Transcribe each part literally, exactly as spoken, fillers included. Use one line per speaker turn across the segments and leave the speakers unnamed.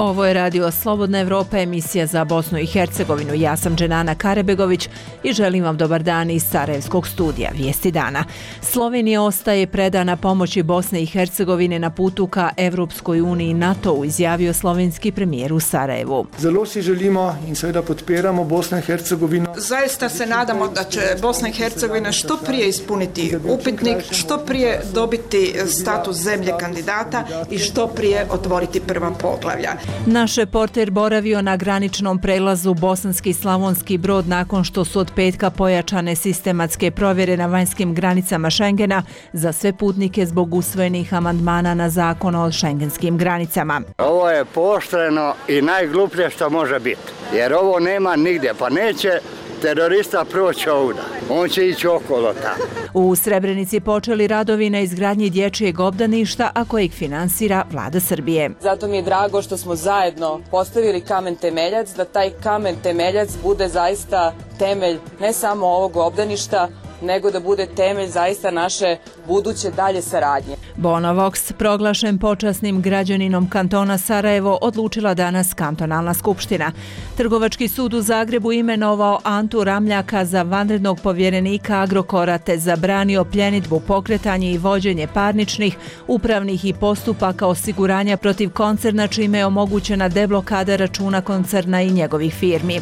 Ovo je Radio Slobodna Evropa, emisija za Bosnu i Hercegovinu. Ja sam Dženana Karebegović i želim vam dobar dan iz Sarajevskog studija. Vijesti dana. Slovenija ostaje predana pomoći Bosne i Hercegovine na putu ka Evropskoj uniji i NATO-u, izjavio slovenski premijer u Sarajevu.
Zelo si želimo in seveda podpiramo Bosno i Hercegovino.
Zaista se nadamo da će Bosna i Hercegovina što prije ispuniti upitnik, što prije dobiti status zemlje kandidata i što prije otvoriti prva poglavlja.
Naš reporter boravio na graničnom prelazu Bosanski Slavonski Brod nakon što su od petka pojačane sistematske provjere na vanjskim granicama Šengena za sve putnike zbog usvojenih amandmana na zakon o šengenskim granicama.
Ovo je pooštreno i najgluplje što može biti, jer ovo nema nigdje, pa neće terorista proći ovdje. On će ići okolo tamo.
U Srebrenici počeli radovi na izgradnji dječjeg obdaništa, a kojeg finansira vlada Srbije.
Zato mi je drago što smo zajedno postavili kamen temeljac, da taj kamen temeljac bude zaista temelj ne samo ovog obdaništa, nego da bude temelj zaista naše buduće dalje saradnje.
Bono Vox, proglašen počasnim građaninom kantona Sarajevo, odlučila danas kantonalna skupština. Trgovački sud u Zagrebu imenovao Antu Ramljaka za vanrednog povjerenika Agrokora te zabranio pljenidbu, pokretanje i vođenje parničnih, upravnih i postupaka osiguranja protiv koncerna, čime je omogućena deblokada računa koncerna i njegovih firmi.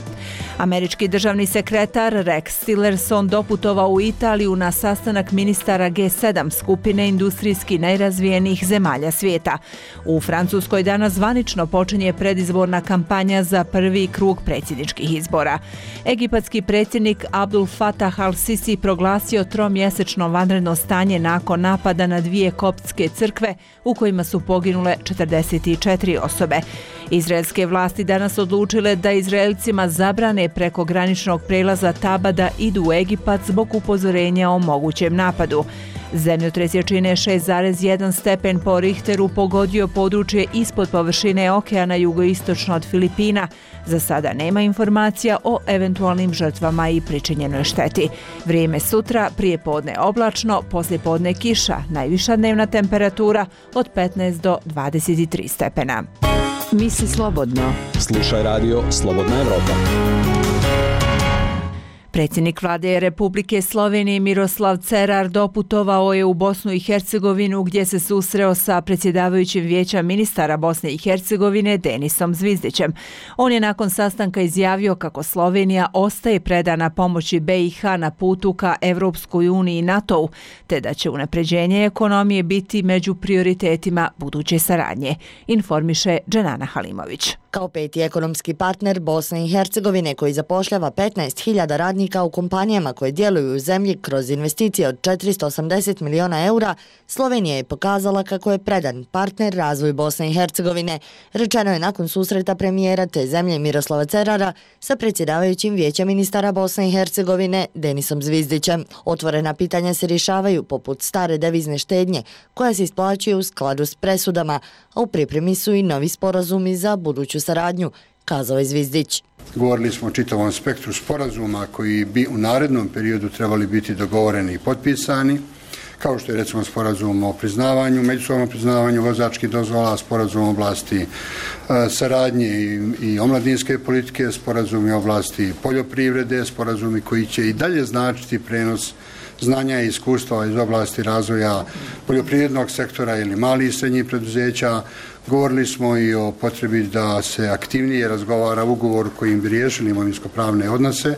Američki državni sekretar Rex Tillerson doputovao u Italiju na sastanak ministara G sedam skupine industrijski najrazvijenijih zemalja svijeta. U Francuskoj danas zvanično počinje predizborna kampanja za prvi krug predsjedničkih izbora. Egipatski predsjednik Abdul Fatah al-Sisi proglasio tromjesečno vanredno stanje nakon napada na dvije koptske crkve u kojima su poginule četrdeset četiri osobe. Izraelske vlasti danas odlučile da Izraelcima zabrane preko graničnog prelaza Taba da idu u Egipat zbog upozorenja o mogućem napadu. Zemljotres jačine šest zarez jedan stepen po Richteru pogodio područje ispod površine okeana jugoistočno od Filipina. Za sada nema informacija o eventualnim žrtvama i pričinjenoj šteti. Vrijeme sutra, prije podne oblačno, poslije podne kiša, najviša dnevna temperatura od petnaest do dvadeset tri stepena. Misli slobodno.
Slušaj radio Slobodna Evropa.
Predsjednik vlade Republike Slovenije Miroslav Cerar doputovao je u Bosnu i Hercegovinu gdje se susreo sa predsjedavajućim vijeća ministara Bosne i Hercegovine Denisom Zvizdićem. On je nakon sastanka izjavio kako Slovenija ostaje predana pomoći B i H na putu ka Evropskoj uniji i NATO-u, te da će unapređenje ekonomije biti među prioritetima buduće saradnje, informiše Dženana Halimović.
Kao peti ekonomski partner Bosne i Hercegovine koji zapošljava petnaest hiljada radnika u kompanijama koje djeluju u zemlji kroz investicije od četiristo osamdeset miliona eura, Slovenija je pokazala kako je predan partner razvoju Bosne i Hercegovine, rečeno je nakon susreta premijera te zemlje Miroslava Cerara sa predsjedavajućim vijeća ministara Bosne i Hercegovine Denisom Zvizdićem. Otvorena pitanja se rješavaju poput stare devizne štednje koja se isplaćuje u skladu s presudama, a u pripremi su i novi sporazumi za buduću saradnju, kazao je Zvizdić.
Govorili smo o čitavom spektru sporazuma koji bi u narednom periodu trebali biti dogovoreni i potpisani, kao što je recimo sporazum o priznavanju, međusobnom priznavanju vozačkih dozvola, sporazum o oblasti e, saradnje i, i omladinske politike, sporazum o oblasti poljoprivrede, sporazumi koji će i dalje značiti prenos znanja i iskustva iz oblasti razvoja poljoprivrednog sektora ili malih i srednjih preduzeća. Govorili smo i o potrebi da se aktivnije razgovara ugovor kojim bi riješili imovinsko-pravne odnose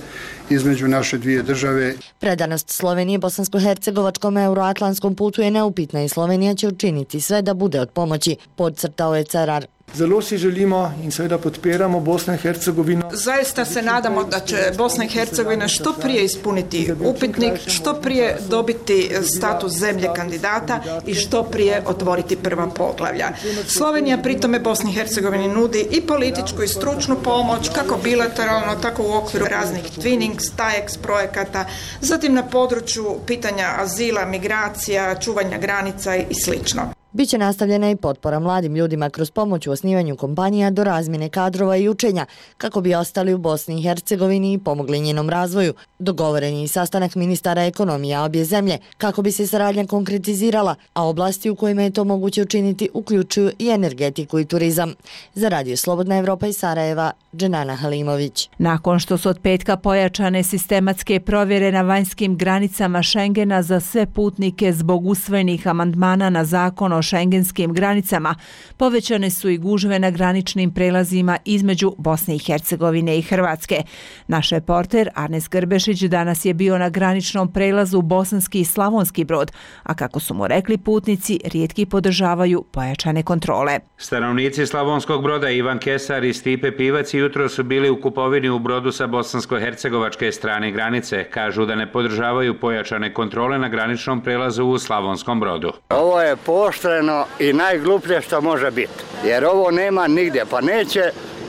između naše dvije države.
Predanost Slovenije bosansko-hercegovačkom euroatlantskom putu je neupitna i Slovenija će učiniti sve da bude od pomoći, podcrtao je Cerar.
Zelo si želimo in seveda podpiramo Bosno i Hercegovino.
Zaista se nadamo da će Bosna i Hercegovina što prije ispuniti upitnik, što prije dobiti status zemlje kandidata i što prije otvoriti prva poglavlja. Slovenija pritome Bosni i Hercegovini nudi i političku i stručnu pomoć, kako bilateralno, tako u okviru raznih Twinning, Stajex projekata, zatim na području pitanja azila, migracija, čuvanja granica i slično.
Biće nastavljena i potpora mladim ljudima kroz pomoć u osnivanju kompanija do razmjene kadrova i učenja, kako bi ostali u Bosni i Hercegovini i pomogli njenom razvoju. Dogovoren je i sastanak ministara ekonomija obje zemlje, kako bi se saradnja konkretizirala, a oblasti u kojima je to moguće učiniti uključuju i energetiku i turizam. Za Radio Slobodna Evropa iz Sarajeva, Dženana Halimović.
Nakon što su od petka pojačane sistematske provjere na vanjskim granicama Šengena za sve putnike zbog usvojenih amandmana na zakon o šengenskim granicama, povećane su i gužve na graničnim prelazima između Bosne i Hercegovine i Hrvatske. Naš reporter Arnes Grbešić danas je bio na graničnom prelazu Bosanski i Slavonski Brod, a kako su mu rekli putnici, rijetki podržavaju pojačane kontrole.
Stanovnici Slavonskog Broda Ivan Kesar i Stipe Pivac jutro su bili u kupovini u Brodu sa bosansko-hercegovačke strane granice. Kažu da ne podržavaju pojačane kontrole na graničnom prelazu u Slavonskom Brodu.
Ovo je pooštreno i najgluplje što može biti, jer ovo nema nigdje, pa neće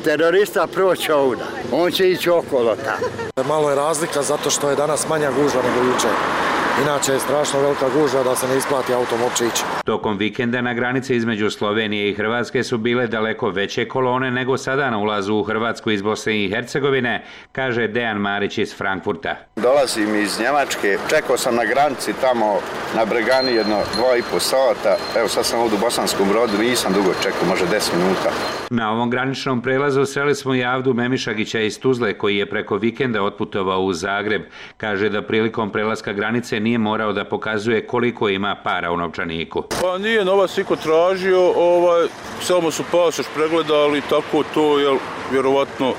terorista proći ovdje, on će ići okolo tamo.
Malo je razlika zato što je danas manja gužva nego jučer. Inače je strašno velika gužva da se ne isplati autom uopće ići.
Tokom vikenda na granici između Slovenije i Hrvatske su bile daleko veće kolone nego sada na ulazu u Hrvatsku iz Bosne i Hercegovine, kaže Dejan Marić iz Frankfurta.
Dolazim iz Njemačke, čekao sam na granici tamo na Bregani jedno dva i po sata. Evo sad sam ovdje u Bosanskom Brodu, nisam dugo čekao, može deset minuta.
Na ovom graničnom prelazu sreli smo i Avdu Memišagića iz Tuzle koji je preko vikenda otputovao u Zagreb. Kaže da prilikom prelaska granice nije morao da pokazuje koliko ima para u novčaniku.
Pa nije novac niko tražio, ovaj, samo su pasoš pregledali, tako to, jel, vjerovatno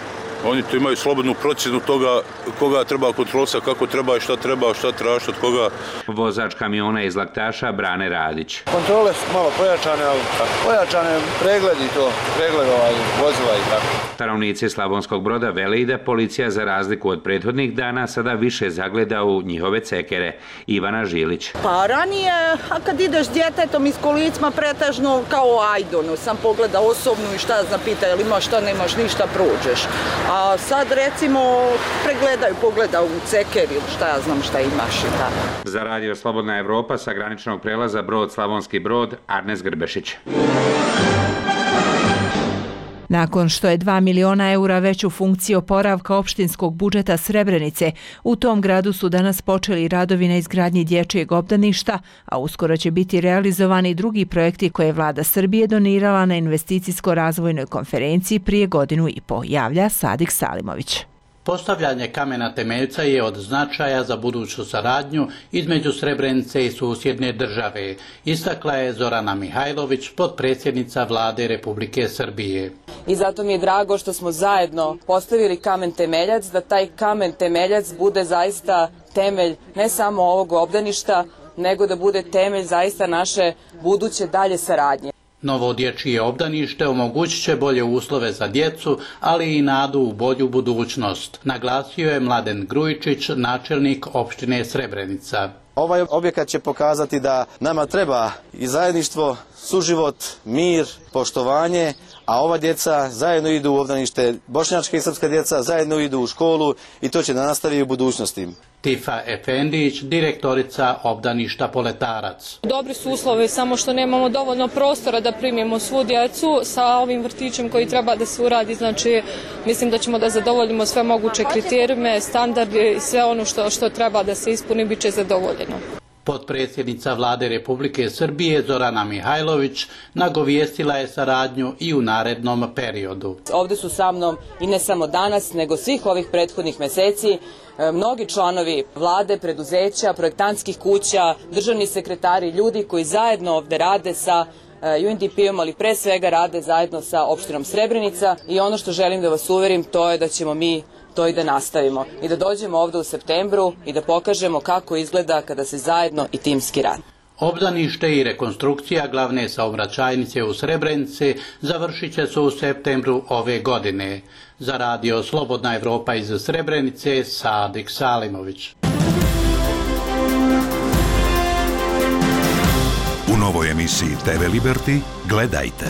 oni to imaju slobodnu procjenu toga koga treba kontrolisati, kako treba i šta treba, šta tražiti od koga.
Vozač kamiona iz Laktaša Brane Radić.
Kontrole su malo pojačane, ali pojačane pregledi to, pregled ovaj, vozila i tako.
Stanovnici Slavonskog Broda vele i da policija za razliku od prethodnih dana sada više zagleda u njihove cekere. Ivana Žilić.
Pa ranije, a kad ideš s djetetom iz kolicima pretežno kao Ajdonu, sam pogleda osobnu i šta zapita, jel imaš šta, nemaš ništa, prođeš. A sad recimo pregledaju, pogledaju u ceker ili šta ja znam šta imaš i tako.
Za Radio Slobodna Evropa sa graničnog prelaza Brod Slavonski Brod, Arnes Grbešić.
Nakon što je dva miliona eura već u funkciji oporavka opštinskog budžeta Srebrenice, u tom gradu su danas počeli radovi na izgradnji dječjeg obdaništa, a uskoro će biti realizovani drugi projekti koje je vlada Srbije donirala na investicijsko-razvojnoj konferenciji prije godinu i po, javlja Sadik Salimović.
Postavljanje kamena temeljca je od značaja za buduću saradnju između Srebrenice i susjedne države, istakla je Zorana Mihajlović, potpredsjednica vlade Republike Srbije.
I zato mi je drago što smo zajedno postavili kamen temeljac, da taj kamen temeljac bude zaista temelj ne samo ovog obdaništa, nego da bude temelj zaista naše buduće dalje saradnje.
Novo dječje obdanište omogućit će bolje uslove za djecu, ali i nadu u bolju budućnost, naglasio je Mladen Grujičić, načelnik opštine Srebrenica.
Ovaj objekat će pokazati da nama treba i zajedništvo, suživot, mir, poštovanje, a ova djeca zajedno idu u obdanište, bošnjačka i srpska djeca zajedno idu u školu i to će da nastavi u budućnosti.
Tifa Efendić, direktorica obdaništa Poletarac.
Dobri su uslovi, samo što nemamo dovoljno prostora da primimo svu djecu sa ovim vrtićem koji treba da se uradi. Znači, mislim da ćemo da zadovoljimo sve moguće kriterijume, standarde i sve ono što, što treba da se ispuni, bit će zadovoljeno.
Potpredsjednica vlade Republike Srbije Zorana Mihajlović nagovijestila je saradnju i u narednom periodu.
Ovdje su sa mnom i ne samo danas, nego svih ovih prethodnih meseci mnogi članovi vlade, preduzeća, projektantskih kuća, državni sekretari, ljudi koji zajedno ovdje rade sa U N D P-om, ali pre svega rade zajedno sa opštinom Srebrenica i ono što želim da vas uverim to je da ćemo mi to i da nastavimo i da dođemo ovdje u septembru i da pokažemo kako izgleda kada se zajedno i timski radi.
Obdanište i rekonstrukcija glavne saobraćajnice u Srebrenici završit će se u septembru ove godine. Za Radio Slobodna Evropa iz Srebrenice, Sadik Salimović.
U novoj emisiji T V Liberty gledajte.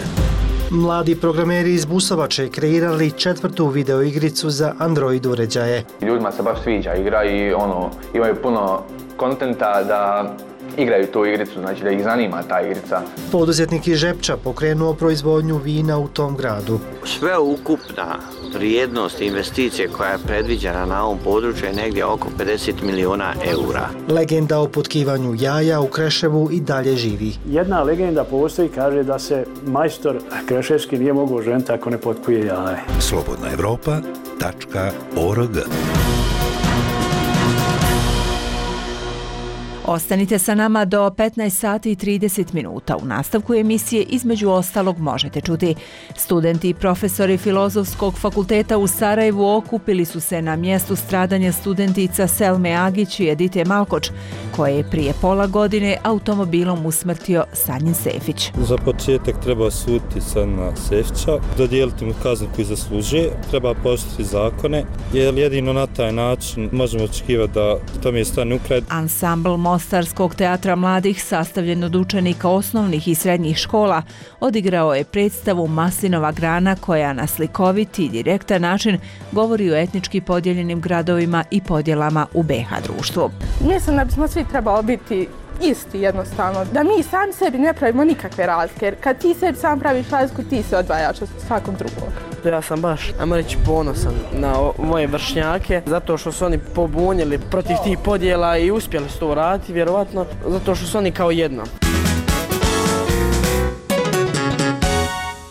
Mladi programeri iz Busovače kreirali četvrtu videoigricu za Android uređaje.
Ljudima se baš sviđa igra i ono, imaju puno kontenta da igraju tu igricu, znači da ih zanima ta igrica.
Poduzetnik iz Žepča pokrenuo proizvodnju vina u tom gradu.
Sveukupna vrijednost investicije koja je predviđena na ovom području je negdje oko pedeset miliona eura.
Legenda o potkivanju jaja u Kreševu i dalje živi.
Jedna legenda postoji, kaže da se majstor kreševski nije mogao ženiti ako ne potkuje jaje.
Slobodna Evropa tačka org.
Ostanite sa nama do petnaest sati i trideset minuta. U nastavku emisije između ostalog možete čuti. Studenti i profesori Filozofskog fakulteta u Sarajevu okupili su se na mjestu stradanja studentica Selme Agić i Edite Malkoč, koje je prije pola godine automobilom usmrtio Sanjin Sefić.
Za početak treba osuditi Sanjina Sefića, dodijeliti mu kaznu koju zaslužuje, treba poštovati zakone, jer jedino na taj način možemo očekivati da tome stane u kraj.
Ansambl Mostarskog teatra mladih, sastavljen od učenika osnovnih i srednjih škola, odigrao je predstavu Maslinova grana koja na slikovit i direktan način govori o etnički podijeljenim gradovima i podjelama u be ha društvu.
Mislim da bismo svi trebali biti isti jednostavno, da mi sami sebi ne pravimo nikakve razlike, jer kad ti sebi sam praviš razliku, ti se odvajaš od svakog drugog.
Ja sam baš, ajmo reći, ponosan na moje vršnjake, zato što su oni pobunjeli protiv tih podjela i uspjeli su to uraditi, vjerovatno, zato što su oni kao jedno.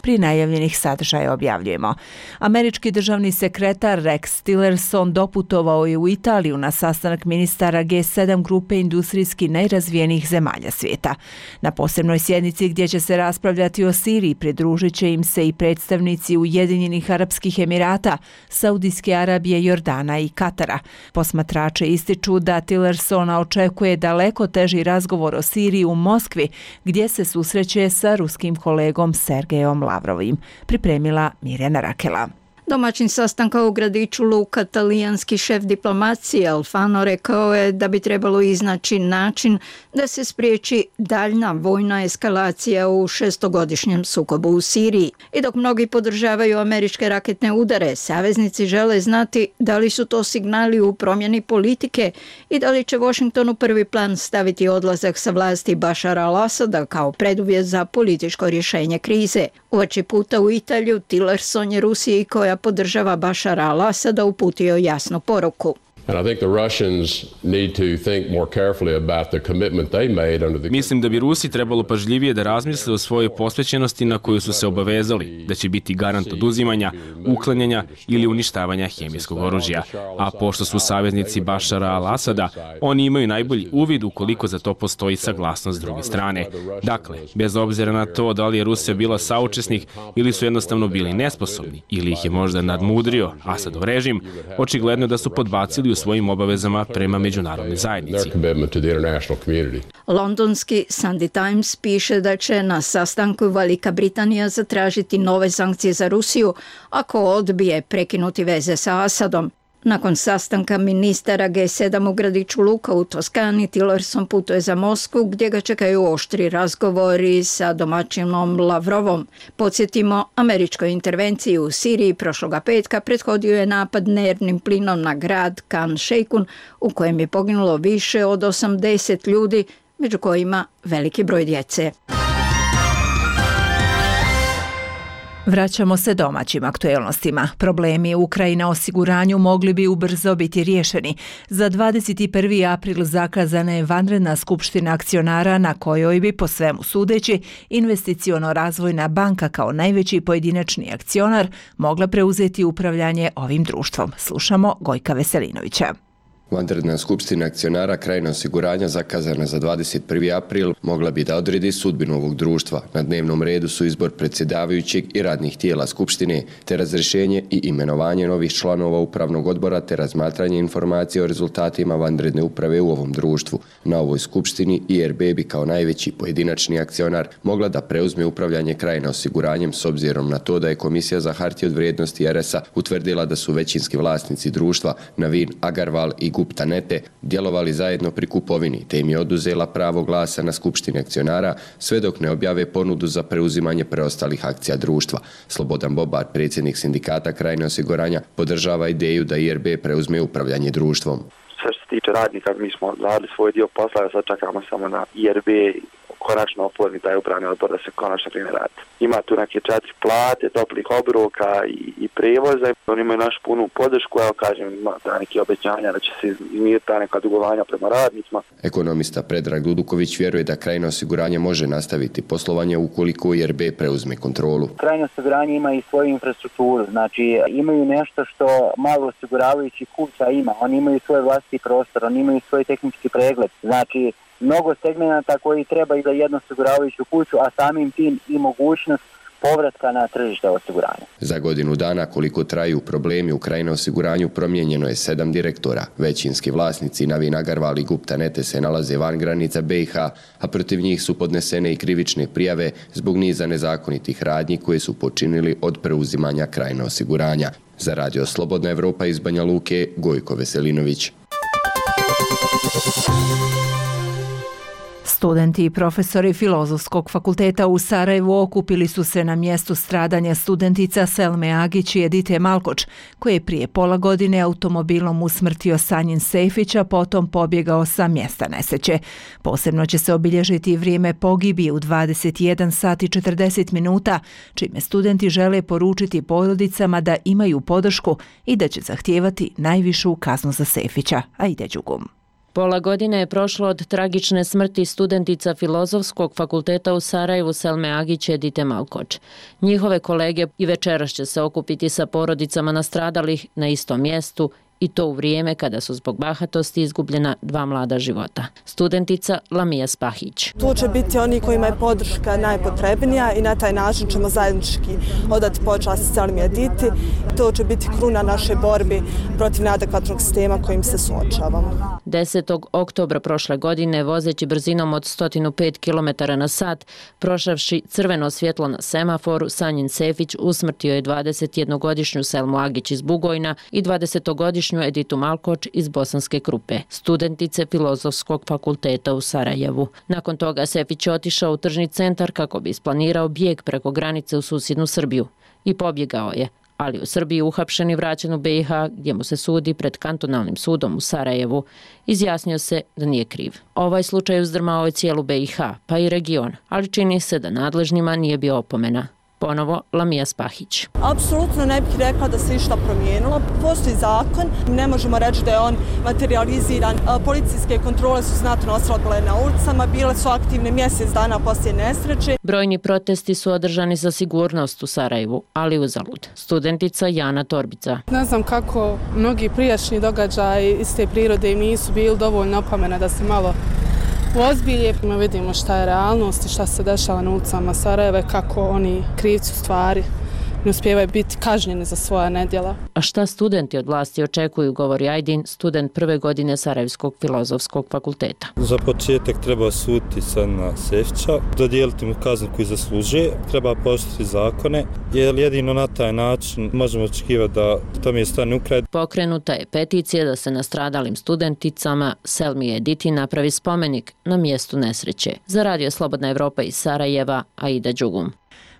Pri najavljenih sadržaja objavljujemo. Američki državni sekretar Rex Tillerson doputovao je u Italiju na sastanak ministara ge sedam grupe industrijski najrazvijenijih zemalja svijeta. Na posebnoj sjednici gdje će se raspravljati o Siriji pridružit će im se i predstavnici Ujedinjenih Arapskih Emirata, Saudijske Arabije, Jordana i Katara. Posmatrače ističu da Tillersona očekuje daleko teži razgovor o Siriji u Moskvi, gdje se susreće sa ruskim kolegom Sergejom Lavrovim, pripremila Mirjana Rakela.
Domaćin sastanka u gradiću Luka, talijanski šef diplomacije Alfano rekao je da bi trebalo iznaći način da se spriječi daljna vojna eskalacija u šestogodišnjem sukobu u Siriji. I dok mnogi podržavaju američke raketne udare, saveznici žele znati da li su to signali u promjeni politike i da li će Washington u prvi plan staviti odlazak sa vlasti Bašara al-Asada kao preduvjet za političko rješenje krize. Uoči puta u Italiju, Tillerson je Rusiji, koja podržava Bašara al-Asada, uputio jasnu poruku.
Mislim da bi Rusi trebalo pažljivije da razmisle o svojoj posvećenosti na koju su se obavezali, da će biti garant oduzimanja, uklanjanja ili uništavanja hemijskog oružja. A pošto su saveznici Bašara al-Asada, oni imaju najbolji uvid ukoliko za to postoji saglasnost s druge strane. Dakle, bez obzira na to da li je Rusija bila saučesnik ili su jednostavno bili nesposobni ili ih je možda nadmudrio Asadov režim, očigledno da su podbacili u svojim obavezama prema međunarodnoj zajednici.
Londonski Sunday Times piše da će na sastanku Velika Britanija zatražiti nove sankcije za Rusiju ako odbije prekinuti veze sa Asadom. Nakon sastanka ministara ge sedam u gradiću Luka u Toskani, Tillerson putuje za Moskvu gdje ga čekaju oštri razgovori sa domaćinom Lavrovom. Podsjetimo, američkoj intervenciji u Siriji prošloga petka prethodio je napad nervnim plinom na grad Khan Sheikhoun u kojem je poginulo više od osamdeset ljudi, među kojima veliki broj djece.
Vraćamo se domaćim aktuelnostima. Problemi u Ukrajini na osiguranju mogli bi ubrzo biti riješeni. Za dvadeset prvi april zakazana je vanredna skupština akcionara na kojoj bi, po svemu sudeći, Investiciono-razvojna banka kao najveći pojedinačni akcionar mogla preuzeti upravljanje ovim društvom. Slušamo Gojka Veselinovića.
Vanredna skupština akcionara Krajina osiguranja zakazana za dvadeset prvi april mogla bi da odredi sudbinu ovog društva. Na dnevnom redu su izbor predsjedavajućeg i radnih tijela skupštine, te razrješenje i imenovanje novih članova upravnog odbora, te razmatranje informacije o rezultatima vanredne uprave u ovom društvu. Na ovoj skupštini I R B bi kao najveći pojedinačni akcionar mogla da preuzme upravljanje Krajina osiguranjem s obzirom na to da je Komisija za hartije od vrijednosti R S A utvrdila da su većinski vlasnici društva Navin Agarwal i Gupta Nete djelovali zajedno pri kupovini, te im je oduzela pravo glasa na skupštini akcionara sve dok ne objave ponudu za preuzimanje preostalih akcija društva. Slobodan Bobar, predsjednik sindikata Krajine osiguranja, podržava ideju da I R B preuzme upravljanje društvom.
Što se tiče
tiče radnika, mi smo radili svoj dio posla, sad čekamo samo na I R B konačno oformi taj upravni odbor da se konačno krene raditi. Ima tu neke četiri plate, toplih obroka i, i prevoza. Oni imaju našu punu podršku, evo kažem, ima da neke obećanja da će se izmiriti ta neka dugovanja prema radnicima.
Ekonomista Predrag Duduković vjeruje da Krajina osiguranje može nastaviti poslovanje ukoliko I R B preuzme kontrolu.
Krajina osiguranje ima i svoju infrastrukturu, znači imaju nešto što malo osiguravajući kuća ima. Oni imaju svoj vlastiti prostor, oni imaju svoj tehnički pregled. Znači, mnogo segmenata koji treba i za jednu osiguravajuću kuću, a samim tim i mogućnost povratka na tržište osiguranja.
Za godinu dana koliko traju problemi u Krajina osiguranju promijenjeno je sedam direktora. Većinski vlasnici Navin Agarwal i Gupta Nete se nalaze van granica B i H, a protiv njih su podnesene i krivične prijave zbog niza nezakonitih radnji koje su počinili od preuzimanja Krajina osiguranja. Za Radio Slobodna Evropa iz Banja Luke, Gojko Veselinović.
Studenti i profesori Filozofskog fakulteta u Sarajevu okupili su se na mjestu stradanja studentica Selme Agić i Edite Malkoč, koji je prije pola godine automobilom usmrtio Sanjin Sejfić, a potom pobjegao sa mjesta nesreće. Posebno će se obilježiti vrijeme pogibije u dvadeset jedan sat i četrdeset minuta, čime studenti žele poručiti porodicama da imaju podršku i da će zahtijevati najvišu kaznu za Sejfića, a ide Đugum.
Pola godine je prošlo od tragične smrti studentica Filozofskog fakulteta u Sarajevu Selme Agić i Edite Malkoč. Njihove kolege i večeras će se okupiti sa porodicama nastradalih na istom mjestu i to u vrijeme kada su zbog bahatosti izgubljena dva mlada života. Studentica Lamija Spahić.
Tu će biti oni kojima je podrška najpotrebnija i na taj način ćemo zajednički odati počast Selmi Editi. To će biti kruna naše borbi protiv neadekvatnog sistema kojim se suočavamo.
desetog oktobra prošle godine, vozeći brzinom od sto pet kilometara na sat, prošavši crveno svjetlo na semaforu, Sanjin Sejfić usmrtio je dvadesetjednogodišnju Selmu Agić iz Bugojna i dvadesetogodišnju Editu Malkoč iz Bosanske Krupe, studentice Filozofskog fakulteta u Sarajevu. Nakon toga Sejfić je otišao u tržni centar kako bi isplanirao bijeg preko granice u susjednu Srbiju i pobjegao je, ali u Srbiji uhapšen i vraćen u B i H gdje mu se sudi pred kantonalnim sudom u Sarajevu. Izjasnio se da nije kriv. Ovaj slučaj uzdrmao je cijelu B i H, pa i region, ali čini se da nadležnima nije bio opomena. Ponovo Lamija Spahić.
Apsolutno ne bih rekla da se išta promijenilo. Postoji zakon, ne možemo reći da je on materializiran. Policijske kontrole su znatno oslabile na ulicama, bile su aktivne mjesec dana poslije nesreće.
Brojni protesti su održani za sigurnost u Sarajevu, ali uzalud. Studentica Jana Torbica.
Ne znam kako mnogi prijašnji događaji iz te prirode im nisu bili dovoljno opomena da se malo uozbilje. Vidimo šta je realnost i šta se dešava na ulicama Sarajeva, kako oni krivci u stvari ne uspijevaju biti kažnjeni za svoja nedjela.
A šta studenti od vlasti očekuju, govori Ajdin, student prve godine Sarajevskog filozofskog fakulteta.
Za početak treba suditi Sanjina Sejfića, dodijeliti mu kaznu koju zaslužuje, treba poštovati zakone, jer jedino na taj način možemo očekivati da to mi je stane u kraj.
Pokrenuta je peticija da se nastradalim studenticama Selmi Editi napravi spomenik na mjestu nesreće. Za Radio Slobodna Evropa iz Sarajeva, Aida Đugum.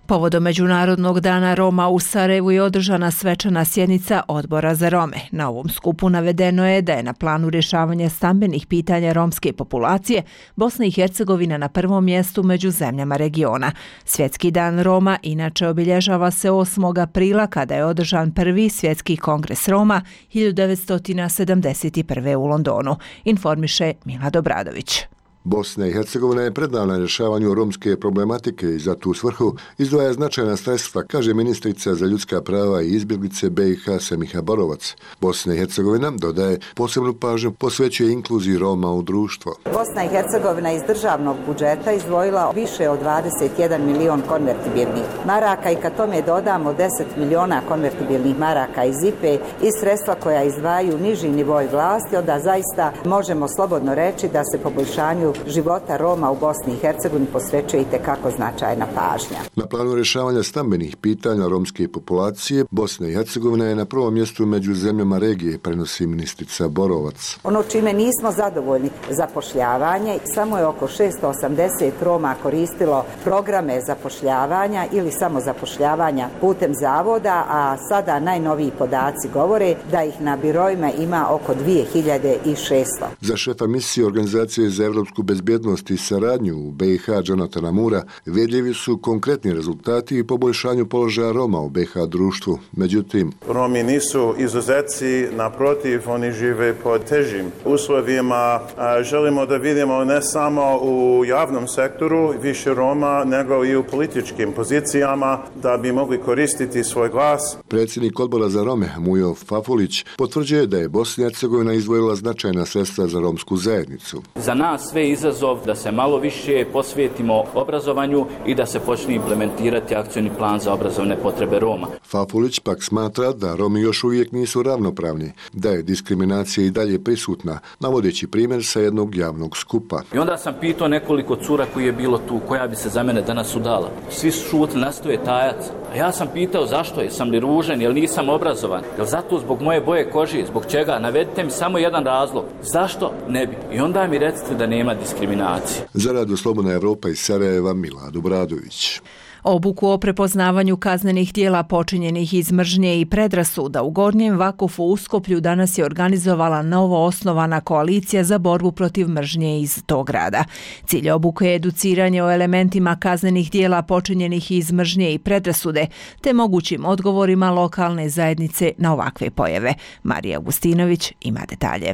Povodom Međunarodnog dana Roma u Sarajevu je održana svečana sjednica Odbora za Rome. Na ovom skupu navedeno je da je na planu rješavanja stambenih pitanja romske populacije Bosna i Hercegovina na prvom mjestu među zemljama regiona. Svjetski dan Roma inače obilježava se osmog aprila kada je održan prvi svjetski kongres Roma hiljadu devetsto sedamdeset prve. u Londonu, informiše Milad Obradović.
Bosna i Hercegovina je predana rješavanju romske problematike i za tu svrhu izdvaja značajna sredstva, kaže ministrica za ljudska prava i izbjeglice B i H Semiha Borovac. Bosna i Hercegovina, dodaje, posebnu pažnju posvećuje inkluziji Roma u društvo.
Bosna i Hercegovina iz državnog budžeta izdvojila više od dvadeset jedan milion konvertibilnih maraka i kad tome dodamo deset miliona konvertibilnih maraka iz I P E i sredstva koja izdvajaju niži nivoj vlasti, onda zaista možemo slobodno reći da se poboljšanju razvoju života Roma u Bosni i Hercegovini posvećuje itekako značajna pažnja.
Na planu rješavanja stambenih pitanja romske populacije, Bosna i Hercegovina je na prvom mjestu među zemljama regije, prenosi ministrica Borovac.
Ono čime nismo zadovoljni zapošljavanje, samo je oko šesto osamdeset Roma koristilo programe zapošljavanja ili samozapošljavanja putem zavoda, a sada najnoviji podaci govore da ih na biroima ima oko dvije hiljade šesto.
Za šefa misije Organizacije za evropsku bezbjednost i saradnju u B i H Jonathana Mura vidljivi su konkretni rezultati i poboljšanju položaja Roma u B i H društvu. Međutim,
Romi nisu izuzeci, naprotiv, oni žive pod težim uslovima. Želimo da vidimo ne samo u javnom sektoru više Roma, nego i u političkim pozicijama da bi mogli koristiti svoj glas.
Predsjednik odbora za Rome, Mujo Fafulić, potvrđuje da je Bosna i Hercegovina izdvojila značajna sredstva za romsku zajednicu.
Za nas sve izazov da se malo više posvetimo obrazovanju i da se počne implementirati akcioni plan za obrazovne potrebe Roma.
Fafulić pak smatra da Romi još uvijek nisu ravnopravni, da je diskriminacija i dalje prisutna, navodeći primjer sa jednog javnog skupa.
I onda sam pitao nekoliko cura koji je bilo tu, koja bi se za mene danas udala. Svi su šutili, nastoje tajac. A ja sam pitao zašto, jesam li ružan, jel nisam obrazovan, jel zato zbog moje boje kože, zbog čega, navedite mi samo jedan razlog, zašto ne bi. I onda mi recite da nema diskriminacije.
Za Radio Slobodna Evropa iz Sarajeva, Milad Obradović.
Obuku o prepoznavanju kaznenih dijela počinjenih iz mržnje i predrasuda u Gornjem Vakufu u Skoplju danas je organizovala novo osnovana koalicija za borbu protiv mržnje iz tog grada. Cilj obuke je educiranje o elementima kaznenih dijela počinjenih iz mržnje i predrasude, te mogućim odgovorima lokalne zajednice na ovakve pojave. Marija Augustinović ima detalje.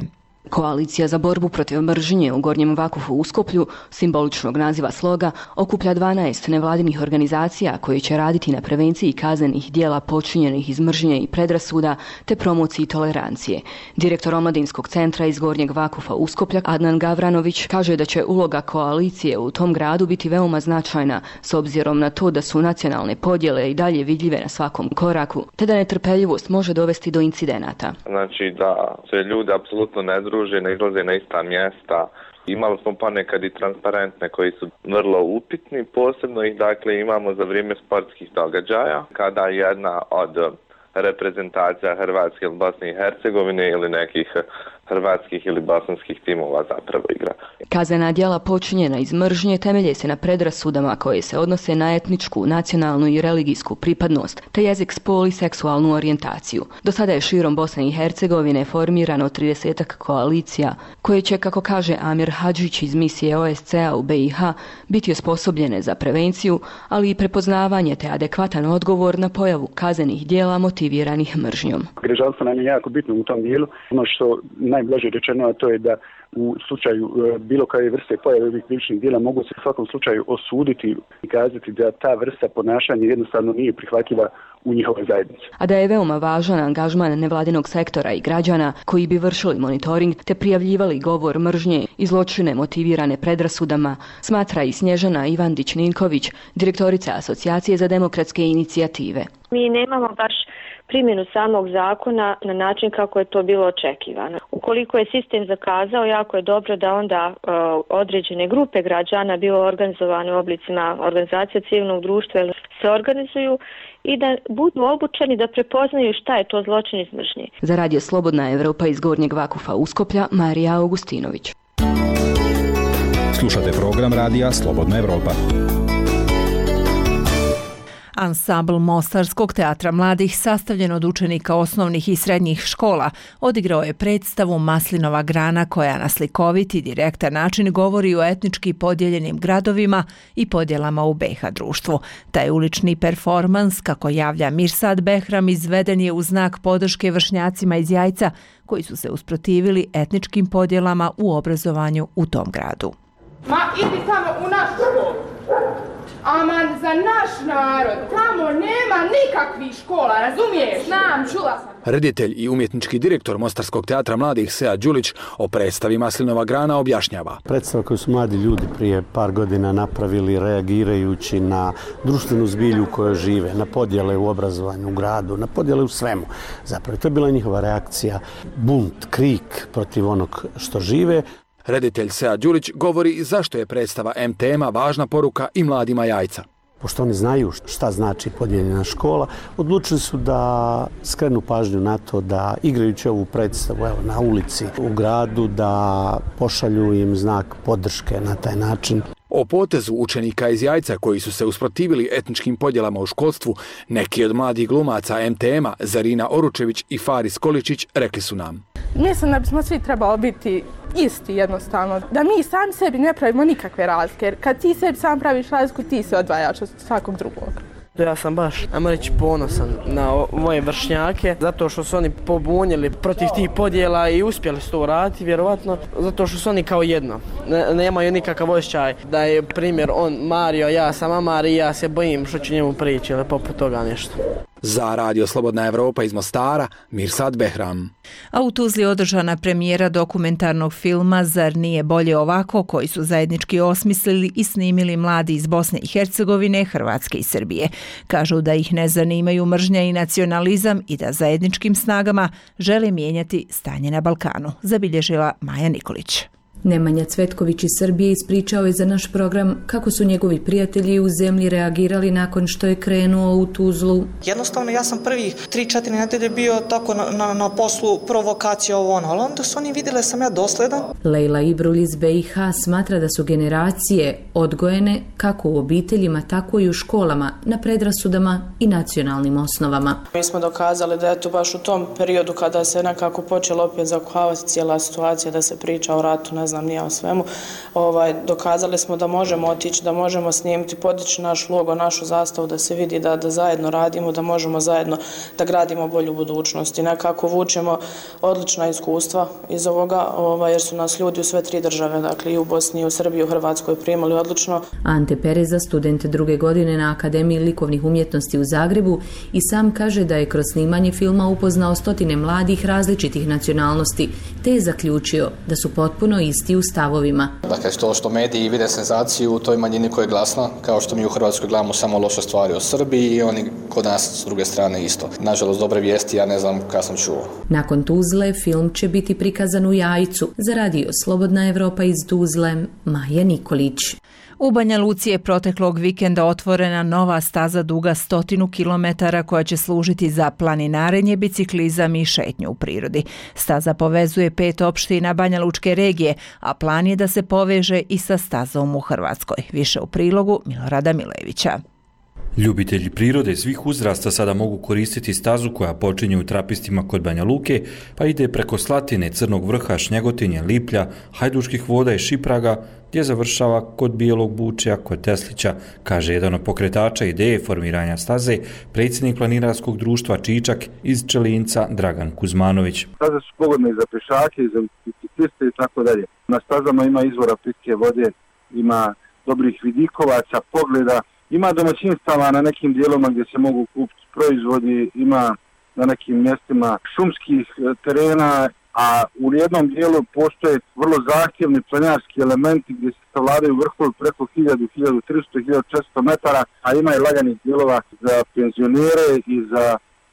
Koalicija za borbu protiv mržnje u Gornjem Vakufu u Skoplju, simboličnog naziva sloga, okuplja dvanaest nevladinih organizacija koje će raditi na prevenciji kaznenih dijela počinjenih iz mržnje i predrasuda te promociji tolerancije. Direktor Omladinskog centra iz Gornjeg Vakufa u Skoplja, Adnan Gavranović, kaže da će uloga koalicije u tom gradu biti veoma značajna s obzirom na to da su nacionalne podjele i dalje vidljive na svakom koraku, te da netrpeljivost može dovesti do incidenata.
Znači da se ljudi apsolutno ne druže, ne izlaze na ista mjesta. Imali smo ponekad i transparentne koji su vrlo upitni, posebno ih dakle imamo za vrijeme sportskih događaja, kada jedna od reprezentacija Hrvatske ili Bosne i Hercegovine ili nekih hrvatskih ili bosanskih timova zapravo igra.
Kaznena djela počinjena iz mržnje temelje se na predrasudama koje se odnose na etničku, nacionalnu i religijsku pripadnost, te jezik, spol i seksualnu orijentaciju. Do sada je širom Bosne i Hercegovine formirano tridesetak koalicija koje će, kako kaže Amir Hadžić iz misije O S C A u B i H, biti osposobljene za prevenciju, ali i prepoznavanje te adekvatan odgovor na pojavu kaznenih djela motiviranih mržnjom.
Građanstvo nam je jako bitno u tom dijelu. Ono što najblaže rečeno, a to je da u slučaju bilo koje vrste pojave ovih krivičnih djela mogu se u svakom slučaju osuditi i kazati da ta vrsta ponašanja jednostavno nije prihvatljiva u njihovoj zajednici.
A da je veoma važan angažman nevladinog sektora i građana koji bi vršili monitoring te prijavljivali govor mržnje i zločine motivirane predrasudama, smatra i Snježana Ivandić-Ninković, direktorica Asocijacije za demokratske inicijative.
Mi nemamo baš primjenu samog zakona na način kako je to bilo očekivano. Ukoliko je sistem zakazao, jako je dobro da onda uh, određene grupe građana, bilo organizovane u oblicima organizacija civilnog društva, se organizuju i da budu obučeni da prepoznaju šta je to zločin iz mržnje.
Za Radio Slobodna Evropa iz Gornjeg Vakufa Uskoplja, Marija Augustinović.
Slušate program Radija Slobodna Evropa.
Ansambl Mostarskog teatra mladih, sastavljen od učenika osnovnih i srednjih škola, odigrao je predstavu Maslinova grana koja na slikovit i direktan način govori o etnički podijeljenim gradovima i podjelama u B i H društvu. Taj ulični performans, kako javlja Mirsad Behram, izveden je u znak podrške vršnjacima iz Jajca koji su se usprotivili etničkim podjelama u obrazovanju u tom gradu.
Ma idi tamo u naš školu. Aman, za naš narod, tamo nema nikakvih škola, razumiješ? Znam, čula sam.
Reditelj i umjetnički direktor Mostarskog teatra mladih Sead Đulić o predstavi Maslinova grana objašnjava.
Predstava koju su mladi ljudi prije par godina napravili reagirajući na društvenu zbilju u kojoj žive, na podjele u obrazovanju u gradu, na podjele u svemu. Zapravo, to je bila njihova reakcija, bunt, krik protiv onog što žive.
Reditelj Sead Đulić govori zašto je predstava M-tema važna poruka i mladima Jajca.
Pošto oni znaju šta znači podijeljena škola, odlučili su da skrenu pažnju na to da igrajući ovu predstavu evo, na ulici u gradu, da pošalju im znak podrške na taj način.
O potezu učenika iz Jajca koji su se usprotivili etničkim podjelama u školstvu, neki od mladih glumaca M-tema, Zarina Oručević i Faris Količić, rekli su nam.
Mislim da bismo svi trebali biti isti jednostavno, da mi sami sebi ne pravimo nikakve razlike, jer kad ti sebi sam praviš razliku, ti se odvajaš od svakog drugog.
Ja sam baš, ajmo reći, ponosan na moje vršnjake, zato što su oni pobunili protiv tih podjela i uspjeli su to uraditi, vjerovatno, zato što su oni kao jedno. Ne, nemaju nikakav osjećaj da je primjer on Mario, ja sam Amar i ja se bojim što će njemu prići ili poput toga nešto.
Za Radio Slobodna Evropa iz Mostara, Mirsad Behram.
A u Tuzli održana premijera dokumentarnog filma Zar nije bolje ovako, koji su zajednički osmislili i snimili mladi iz Bosne i Hercegovine, Hrvatske i Srbije. Kažu da ih ne zanimaju mržnja i nacionalizam i da zajedničkim snagama žele mijenjati stanje na Balkanu, zabilježila Maja Nikolić.
Nemanja Cvetković iz Srbije ispričao je za naš program kako su njegovi prijatelji u zemlji reagirali nakon što je krenuo u Tuzlu.
Jednostavno, ja sam prvih tri četiri nedelje bio tako na, na, na poslu provokacija ovo ono, ali onda su oni vidjeli sam ja dosledan.
Lejla Ibrul iz B i H smatra da su generacije odgojene kako u obiteljima, tako i u školama, na predrasudama i nacionalnim osnovama.
Mi smo dokazali da je to baš u tom periodu kada se nekako počelo opet zakuhavati cijela situacija, da se priča o ratu, ne znam nije o svemu, ovaj, dokazali smo da možemo otići, da možemo snimiti, podići naš logo, našu zastavu, da se vidi da, da zajedno radimo, da možemo zajedno da gradimo bolju budućnost i nekako vučemo odlična iskustva iz ovoga, ovaj, jer su nas ljudi u sve tri države, dakle i u Bosni, i u Srbiji, i u Hrvatskoj primali odlično.
Ante Pereza, student druge godine na Akademiji likovnih umjetnosti u Zagrebu, i sam kaže da je kroz snimanje filma upoznao stotine mladih različitih nacionalnosti, te je zaključio da su potpuno isti u stavovima.
Dakle, to što mediji vide senzaciju u toj manjini koja je glasna, kao što mi u Hrvatskoj gledamo samo loše stvari o Srbiji i oni kod nas s druge strane isto. Nažalost, dobre vijesti, ja ne znam kada sam čuo.
Nakon Tuzle, film će biti prikazan u Jajcu. Za Radio Slobodna Evropa iz Tuzle, Maja Nikolić.
U Banja Luci je proteklog vikenda otvorena nova staza duga stotinu kilometara koja će služiti za planinarenje, biciklizam i šetnju u prirodi. Staza povezuje pet opština Banja Lučke regije, a plan je da se poveže i sa stazom u Hrvatskoj. Više u prilogu Milorada Milevića.
Ljubitelji prirode svih uzrasta sada mogu koristiti stazu koja počinje u Trapistima kod Banja Luke, pa ide preko Slatine, Crnog vrha, Šnjegotinje, Liplja, Hajduških voda i Šipraga, gdje završava kod Bijelog Bučija, kod Teslića, kaže jedan od pokretača ideje formiranja staze, predsjednik planinarskog društva Čičak iz Čelinca, Dragan Kuzmanović.
Staze su pogodne i za pešake, i za bicikliste i tako dalje. Na stazama ima izvora pitke vode, ima dobrih vidikovaca, pogleda, ima domaćinstava na nekim dijelovima gdje se mogu kupiti proizvodi, ima na nekim mjestima šumskih terena, a u jednom dijelu postoje vrlo zahtjevni planinarski elementi gdje se savladaju vrhovi preko hiljadu, hiljadu tristo, hiljadu četiristo metara, a ima i laganih dijelova za penzionere i za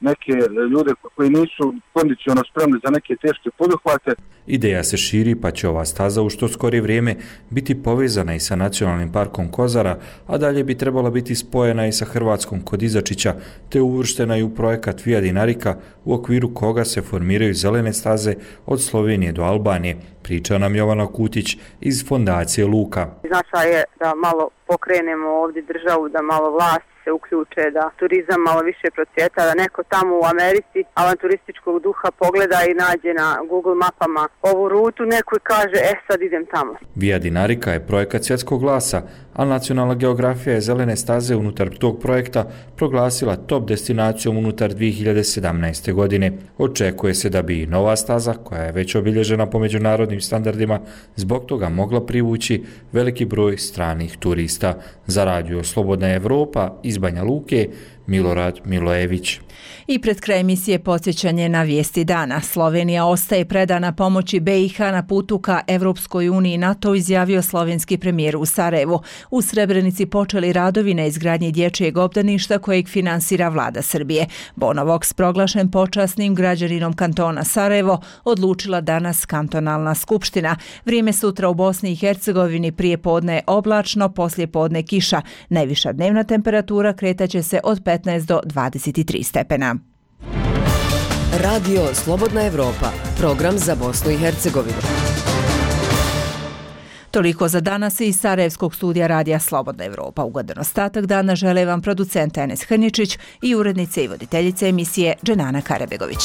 neke ljude koji nisu kondicionalno spremni za neke teške poduhvate.
Ideja se širi, pa će ova staza u što skorije vrijeme biti povezana i sa Nacionalnim parkom Kozara, a dalje bi trebala biti spojena i sa Hrvatskom kod Izačića, te uvrštena i u projekat Via Dinarica, u okviru koga se formiraju zelene staze od Slovenije do Albanije, priča nam Jovana Kutić iz Fondacije Luka.
Značaj je da malo pokrenemo ovdje državu, da malo vlast se uključe, da turizam malo više procvjeta, da neko tamo u Americi avanturističkog duha pogleda i nađe na Google mapama ovu rutu, neko i kaže, e sad idem tamo.
Via Dinarica je projekat svjetskog glasa, a Nacionalna geografija je zelene staze unutar tog projekta proglasila top destinacijom unutar dvije hiljade sedamnaeste. godine. Očekuje se da bi i nova staza, koja je već obilježena po međunarodnim standardima, zbog toga mogla privući veliki broj stranih turista. Za Radio Slobodna Evropa iz Banja Luke, Milorad Milojević.
I pred kraj emisije podsjećanje na vijesti dana. Slovenija ostaje predana pomoći B i H na putu ka Evropskoj uniji, NATO, izjavio slovenski premijer u Sarajevu. U Srebrenici počeli radovi na izgradnji dječjeg obdaništa kojeg finansira vlada Srbije. Bonovox, proglašen počasnim građaninom kantona Sarajevo, odlučila danas kantonalna skupština. Vrijeme sutra u Bosni i Hercegovini prije podne oblačno, poslije podne kiša. Najviša dnevna temperatura kretaće se od petnaest do dvadeset tri stepena.
Radio Slobodna Evropa, program za Bosnu i Hercegovinu.
Toliko za danas iz Sarajevskog studija Radija Slobodna Evropa. Ugodan ostatak dana žele vam producent Enes Hrničić i urednice i voditeljice emisije Dženana Karabegović.